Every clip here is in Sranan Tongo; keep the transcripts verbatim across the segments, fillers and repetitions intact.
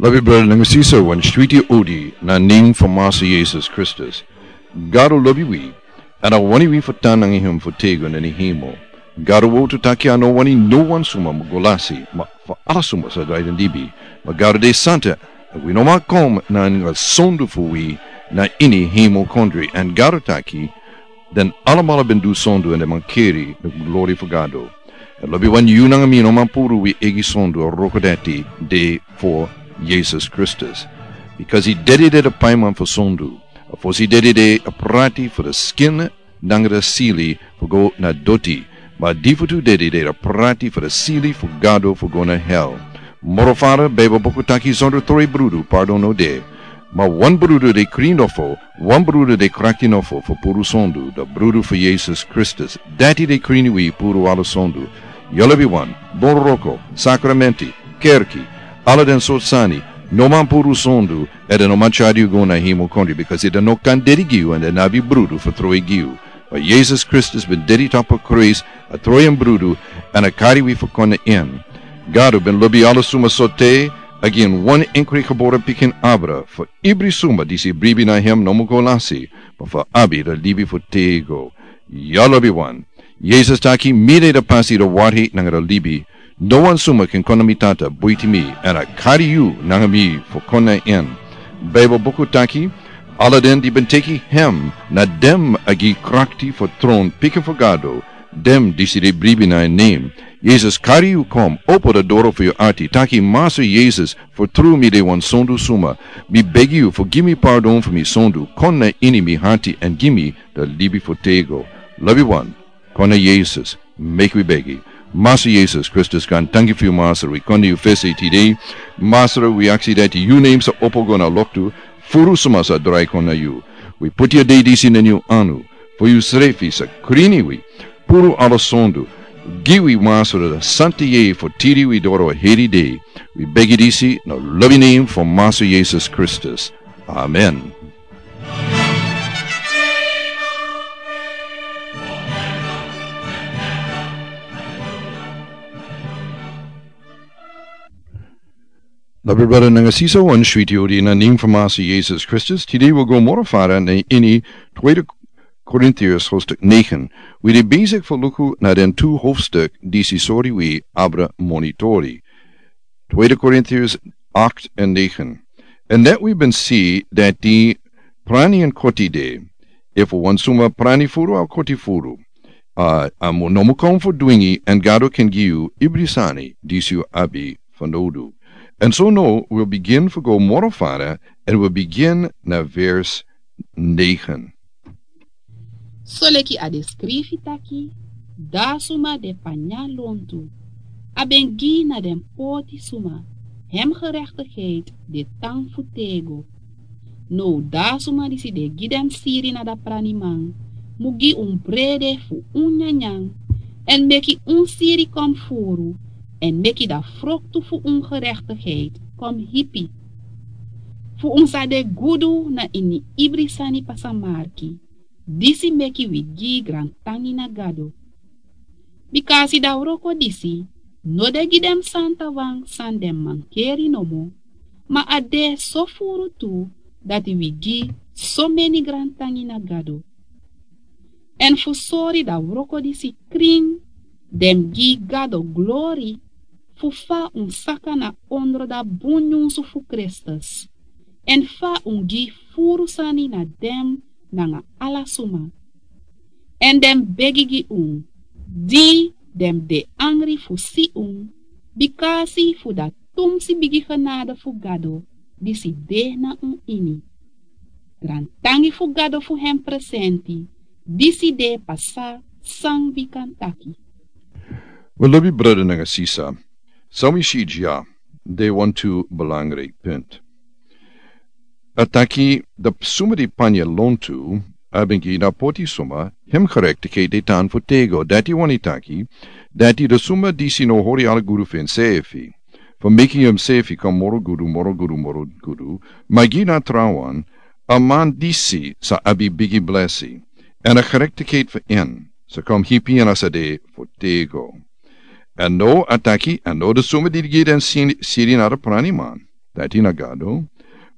Lobi brada nanga sisa, wan switi odi na nen fu Masa Yesus Kristus. Gado lobi wi, èn a wani wi fu tan nanga hem fu tego na ini hemel. Gado wowtu taki a no wani no wan suma mu go lasi, ma fu ala suma sa drai den libi. Ma Gado de santa, èn wi no man kon nanga sondu fu wi na ini hemel kondre. Èn Gado taki, den alamala ben du sondu èn den man keri den glori fu Gado. Èn lobi wan, yu nanga mi no man puru wi eigi sondu, a wroko dati de fu Yesus Kristus. Bikasi dede de a paiman fu sondu. A fosi dede de a prati fu a skin nanga a sili fu go na doti. Ma a difutu dede de a prati fu a sili fu Gado fu go na hel. Moro fara, Beibel buku taki, sondro troi brudu pardon no de. Ma wan brudu de krin nofo, wan brudu de krakti nofo fu puru sondu, a brudu fu Yesus Kristus. Dati de krin wi puru ala sondu. Yu lobi wan, bun wroko, sakramenti, kerki, ala den sortu sani, no man puru sondu, èn den no man tyari yu go na hemel kondre, bikasi den no kan dede gi yu èn den no abi brudu fu troi gi yu. Ma Yesus Kristus ben dede tapu a krusu, a troi en brudu, èn a kari wi fu kon na en. Gado ben lobi ala suma so te a gi en wan enkri gebore pikin abra, fu ibri suma disi bribi na hem no mu go lasi, ma fu abi a libi fu tego. Yu lobi wan, Yesus taki, mi de a pasi, a wari nanga a libi. No wan suma kan kon na mi Tata buiti mi, èn a kari yu nanga mi fu kon na en. Beibel buku taki, ala den di ben teki hem, na dem a gi krakti fu tron pikin fu Gado, dem disi de bribi na en nen. Yesus kari yu kon, opo a doro fu yu ati, taki, Masa Yesus, fu tru mi de wan sondu suma. Mi begi yu fu gi mi pardon fu mi sondu, kon na ini mi ati èn gi mi a libi fu tego. Lobi wan, kon na Yesus, meki wi begi. Masa Yesus Kristus, gaantangi fu yu Masra, wi kon na yu fesi tide. Masra, wi aksi dati yu nen sa opo go na loktu, furu suma sa drai kon na yu. Wi puti a dei disi na yu anu, fu yu srefi sa krin wi, puru ala sondu, gi wi Masra a santa yeye fu tiri wi doro a heri dei. Wi begi disi na lobi nen fu Masa Yesus Kristus. Amen. Lobi brada nanga sisa, wan switi odi na nen fu Masa Yesus Kristus. Tide wi go moro fara na ini Tweede Korintiërs hoofdstuk negen. Wi de bezig fu luku na den tu hoofdstuk disi sori wi abra monitori. Tweede Korintiërs acht en negen. En dat wi ben si dati prani en koti de. Efu wan suma prani furu, a koti furu. A, a mu, no mu kon fu dwingi, èn Gado kan gi yu ibri sani disi yu abi fanowdu. En so now wi o bigin fu go moro fara, èn wi o bigin na vers negen. Soleki a de skrifi taki, da suma de panya lontu, a ben gi na den poti suma, hem gerechtigheid de tan fu tego. Now da suma disi de gi den siri na da praniman, mu gi un brede fu un nyanyan, èn meki un siri kon furu, èn meki da froktu fu un gerechtigheid kon hipi. Fu un sa de gudu na ini ibri sani pasamarki. Disi meki wi gi grantangi na Gado. Bikasi da wroko disi no de gi den santawan san den mankeri nomo, ma a de so furu tu dati wi gi someni grantangi na Gado. Èn fu sori da wroko disi krin, den gi Gado glori, fu fa un saka na ondro da bun nyunsu fu Kristus, èn fa un gi furu sani na den nanga ala suma. Èn den begi gi un, di den de angri fu si un, bikasi fu da tumsi bigi genade fu Gado disi de na un ini. Grantangi fu Gado fu hem presenti, disi de pasa san wi kan taki. Wel, lobi brada nanga sisa, san wi si dya de wantu belangrijk punt. A taki, da suma di panya lontu, a ben gi na poti suma, hem gerechtigheid de tan fu tego, dati wani taki, dati da suma disi no hori ala gudu fu ensefi, fu meki ensefi kon moro gudu, moro gudu, moro gudu, ma gi na trawan, a man disi sa abi bigi blesi, èn a gerechtigheid fu en sa kon hipi en a sa de fu tego. Èn now a taki, èn now da suma di gi den siri na da praniman, dati na Gado,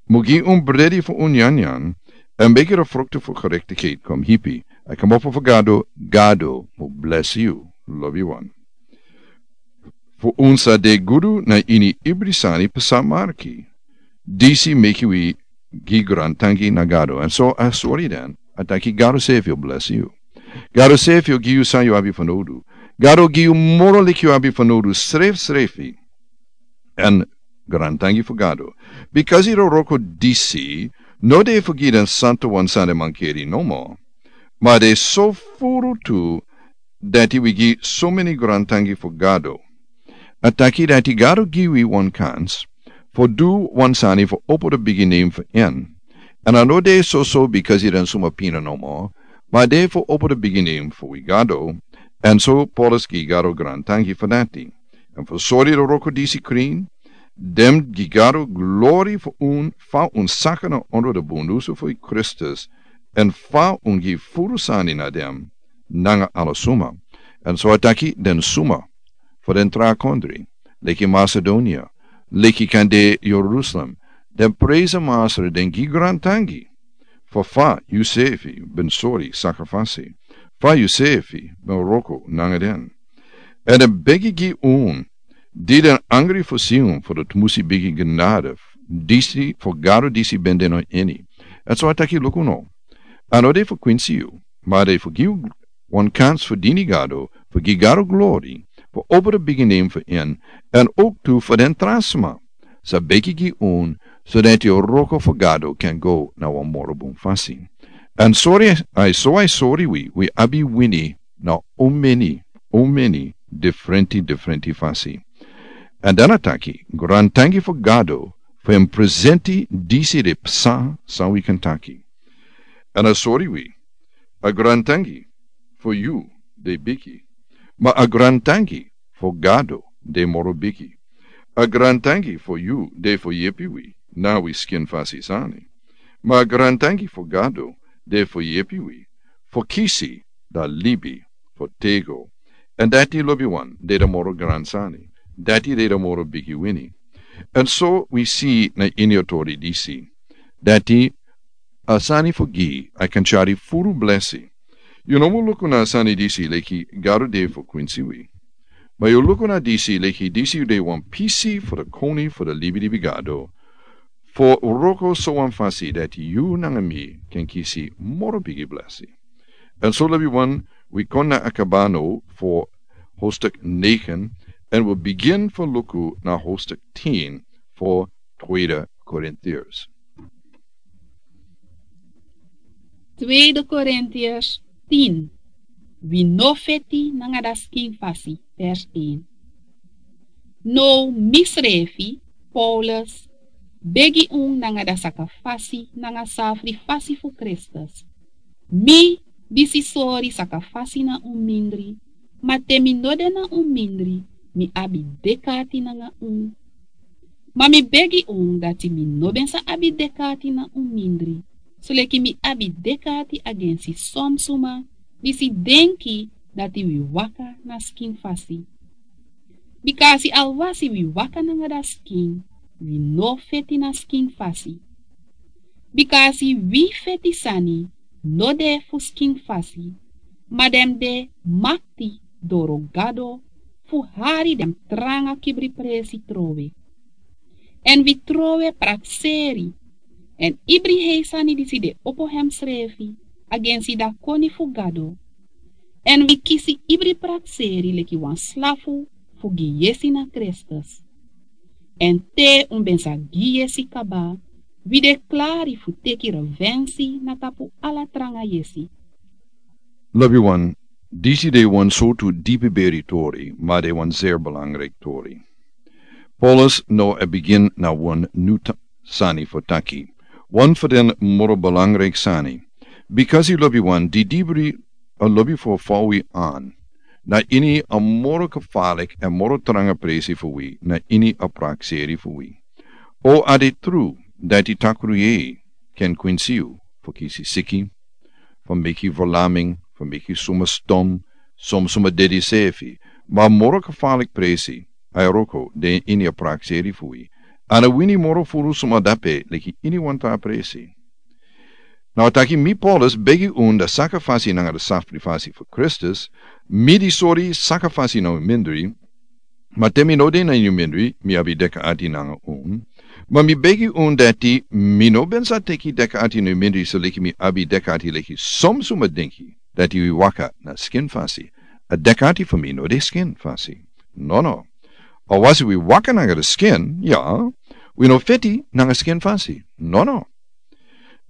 mu gi un bredi fu un nyanyan, èn meki a fruktu fu gerektikheit kon hipi, èn kmopo fu Gado, Gado mu blesi yu, lobiwan. Fu un sa de gudu na ini ibri sani psa marki. Disi meki wi gi grantangi na Gado, èn so a sori den, a taki Gado sefi o blesi yu. Gado sefi o gi yu san yu abi fanowdu. Gado o gi yu moro leki yu abi fanowdu srefsrefi. Èn grantangi fu Gado. Bikasi den wroko disi no de fu gi den santu wan sani mankeri nomo. Ma den so furu tu dati wi gi someni grantangi fu Gado. A taki dati Gado gi wi wan kans fu du wan sani fu opo den bigi nen fu en. Èn a no de soso bikasi den suma pina nomo, ma a de fu opo den bigi nen fu wi Gado. Èn so Paulus gi Gado grantangi fu dati. Èn fu sori den wroko disi krin, den gi Gado glori fu un fa un saka na ondro den bundusu fu Kristus, èn fa un gi furu sani na den nanga ala suma. Èn so a taki den suma fu den tra kondre, leki Masedonia, leki kande Jerusalem, den presi Masra, den gi grantangi fu fa yusefi ben sori saka fasi, fa yusefi ben wroko nanga den. Èn den begi gi un, di den angri fu si un fu den tmusi bigi genade disi fu Gado disi ben de na ini. Èn so a taki luku no, a no de fu kwinsi yu, ma a de fu gi yu wan kans fu dini Gado, fu gi Gado glori, fu opo den bigi nen fu en, èn owktu fu den tra sma sa begi gi un, so dati den wroko fu Gado kan go na wan moro bun fasi. Èn sori, a e so a e sori wi, wi abi wini na omeni, omeni, difrenti, difrenti fasi. Èn dan a taki, grantangi fu Gado, fu en presenti disi den psa san wi kan taki. Èn a sori wi, a grantangi fu yu de bigi, ma a grantangi fu Gado de moro bigi. A grantangi fu yu de fu yepi wi na wi skin fasi sani, ma a grantangi fu Gado de fu yepi wi fu kisi dan libi fu tego. Èn dati lobiwan de den moro gran sani, dati de den moro bigi wini. Èn so wi si na ini a tori disi, dati a sani fu gi a kan tyari furu blesi. Yu no mu luku na a sani disi leki Gado de fu kwinsi wi, ma yu luku na disi leki disi yu de wan pisi fu den koni fu den libilibi Gado, fu wroko so wan fasi dati yu nanga mi kan kisi moro bigi blesi. Èn so lobiwan, wi kon na a kaba now fu hoofdstuk negen, èn wi bigin fu luku na hoofdstuk tien fu Tweede Korintiërs. Tweede Korintiërs tien. Wi no feti nanga dati skin fasi, vers een. Now misrefi, Paulus, begi un nanga dati saka fasi nanga safri fasi fu Kristus. Mi disi sori saka fasi na un mindri, ma te mi no de na un mindri, mi abi dek'ati nanga un. Ma mi begi un dati mi no ben sa abi dek'ati na un mindri, soleki mi abi dek'ati agensi son suma disi denki dati wi waka na skin fasi. Bika a si alwasi wi waka nanga dati skin, wi no feti na skin fasi. Bika a si wi feti sani no de fu skin fasi, ma den de makti doro Gado fu hari den tranga kibri presi trowe. Èn wi trowe prakseri èn ibri hei sani disi de opo hemsrefi agensi dati koni fu Gado. Èn wi kisi ibri prakseri leki wan slafu fu gi yesi na Kristus. Èn te un ben sa gi yesi kaba, wi de klari fu teki revensi na tapu ala tranga yesi. Lobiwan, disi de wan sortu dipi beri tori, ma de wan zeer belangrijk tori. Paulus no e bigin na wan nu ta-, sani fu taki. Wan fu den moro belangrijk sani. Bikasi lobiwan, di dibri a lobi fu fouwi an na ini a moro kefalik èn moro tranga presi fu wi na ini a prakseri fu wi. O a de tru dati takru yei ken kwinsi yu fu kisi siki, fu meki verlaming, fu meki suma stom, som suma dedi sefi, ma moro kefalik presi a e wroko de ini a prakseri fu wi. A no wini moro furu suma dape leki ini wan tra presi. Now a taki, mi Paulus begi un dati saka fasi nanga dati safri fasi fu Kristus, mi di sori saka fasi na un mindri, ma te mi no de na ini un mindri, mi abi deka ati nanga un. Ma mi begi un dati mi no ben sa teki deka ati na un mindri, so leki mi abi deka ati leki som suma denki dati wi waka na skin fasi. A deka ati fu mi no de skin fasi. No, no. A wasi wi waka nanga di skin, ya, wi no feti nanga skin fasi. No, no.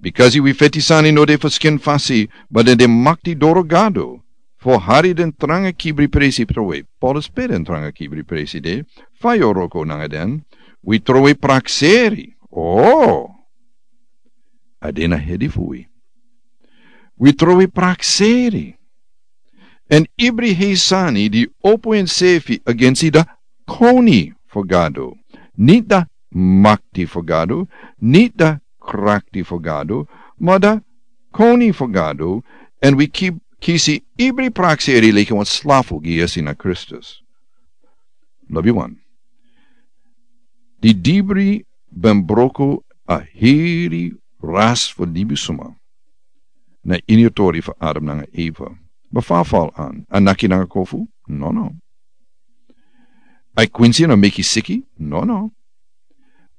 Bikasi wi feti sani no de fu skin fasi, ma den de makti doro Gado. Fu hari den tranga kibri presi trowe. Paulus pe den tranga kibri presi de, fa yu o wroko nanga den, wi trowe prakseri. Oh. A de na hedi fu wi. Wi trowe prakseri. Èn ibri hei sani di opo ensefi agensi da koni fu Gado. Ni da makti fu Gado, ni da krakti fu Gado, ma da koni fu Gado, èn wi ki-, kisi ibri prakseri leki wan slafu gi yesi na Kristus. Lobi wan. Di dibri ben broko a heri ras fu libisuma. Na ini a tori fu Adam nanga Eva. Ma fa a fal an, a naki nanga kofu? No, no. A kwinsi no meki siki? No, no.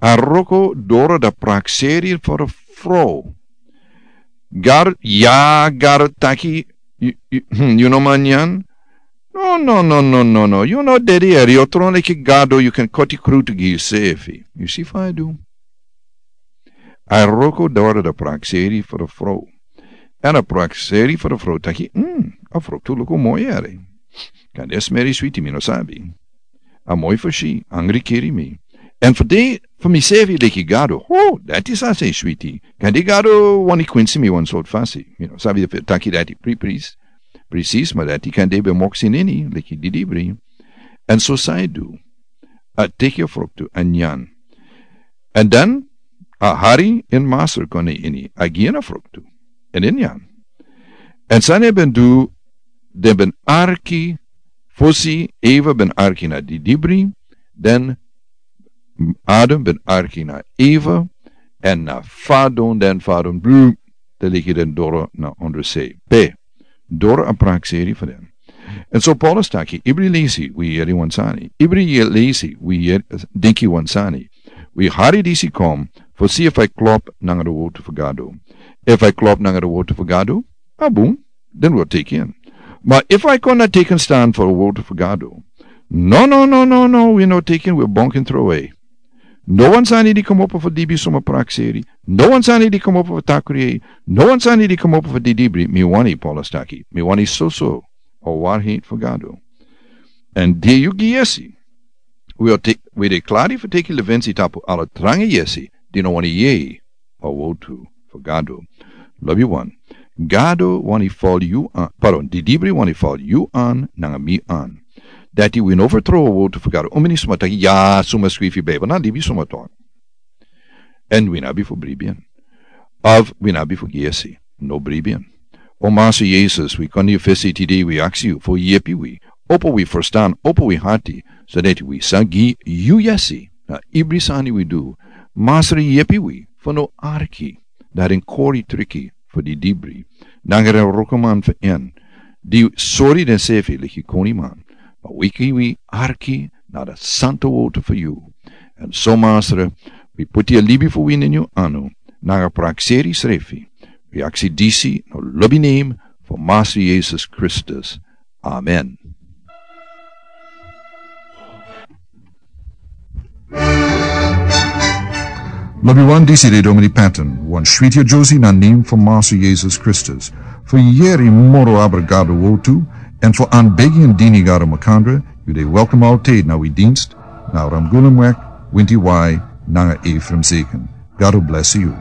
A wroko doro da prakseri fu a fro. Gado, ya, Gado taki, yu, yu, yu no man nyan? No, no, no, no, no, no. Yu no dedi eri, yu o tron leki Gado, yu kan koti krutu gi yusefi. Yu si fa a du. A wroko doro da prakseri fu a fro. Èn a prakseri fu a fro taki, mm, a fruktu luku moi eri. Kande a smeri switi, mi no sabi. A moi fu si, angri kiri mi. Èn fu de, fu misefi leki Gado, ho, dati sa sei switi. Kande Gado wani kwinsi mi wan sortu fasi. Mi no sabi efu a taki dati pri-, pris-, presis, ma dati kande ben moksi nini, leki didibri. Èn so san a du. A teki a fruktu, a nyan. Èn dan, a hari en masra kon na ini, a gi en a fruktu. Èn a nyan. Èn san a ben du, den ben arki, fosi Eva ben arki na didibri, dan Adam ben arki na Eva, èn na fadon, dan fadon, blu, dan leki den doro na ondersei. Pe, doro a prakseri fu den. Èn so Paulus taki, ibri lesi wi yeri wan sani. Ibri ye-, lesi wi yeri, denki wan sani. Wi hari disi kon, fu si efu a klop nanga di wowtu fu Gado. Efu a klop nanga di wowtu fu Gado, a bun, den wi o teki en. Ma efu a kon na teki en stan fu a wowtu fu Gado. No, no, no, no, no, wi no teki en, wi o bonki en trowe. No wan sani di komopo fu libisuma prakseri. No wan sani di komopo fu takri. No wan sani di komopo fu didibri. Mi wani, Paulus taki. Mi wani soso. A waarheid fu Gado. Èn di yu gi yesi. Wi o te-, wi de klari fu teki liwensi tapu ala tranga yesi. Di no wani yei. A wowtu fu Gado. Lobi wan. Gado wani fal yu an. Pardon, didibri wani fal yu an, nanga mi an. Dati wi no fertrow a wowtu fu Gado. Un meni suma taki, ya, suma skrifi Bijbel, na libisuma tok. Èn wi no abi fu bribi en. Of wi no abi fu gi yesi, no bribi en. O Masra Yesus, wi kon na yu fesi tide, wi aksi yu fu yepi wi. Opo wi ferstan, opo wi ati, so dati wi sa gi yu yesi. Na ibri sani wi du, Masra yepi wi, fu no arki, na den kori triki, fu didibri. Nanga den wrokoman fu en, di sori densefi leki koniman. Ma wi ki wi arki, na den santu wowtu fu yu. Èn so Masra, wi poti a libi fu wi na yu anu, nanga prakseri srefi. Wi aksi disi, na lobi nen, fu Masra Yesus Kristus. Amen. Lobi wan, disi de Domini Patton, wan switi a Josie na nen fu Masra Yesus Kristus. Fu yeri moro abra Gado wowtu, èn fu anbegi èn dini Gado makandra, yu de welkom altijd na wi dienst, na Ramgulumweg, winti wai, nanga Ephraim Zeken. Gado bless yu.